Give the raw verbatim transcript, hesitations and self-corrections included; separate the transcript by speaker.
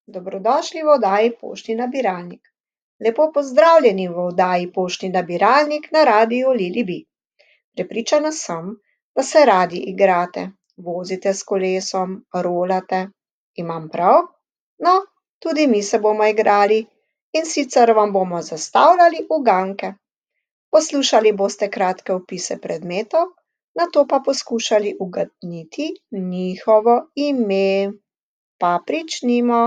Speaker 1: Dobrodošli v oddaji Poštni nabiralnik. Lepo pozdravljeni v oddaji Poštni nabiralnik na radiu Lili Bi. Prepričana sem, da se radi igrate, vozite s kolesom, rolate. Imam prav? No, tudi mi se bomo igrali, in sicer vam bomo zastavljali uganke. Poslušali boste kratke opise predmetov, nato pa poskušali ugotoviti njihovo ime. Pa pričnimo.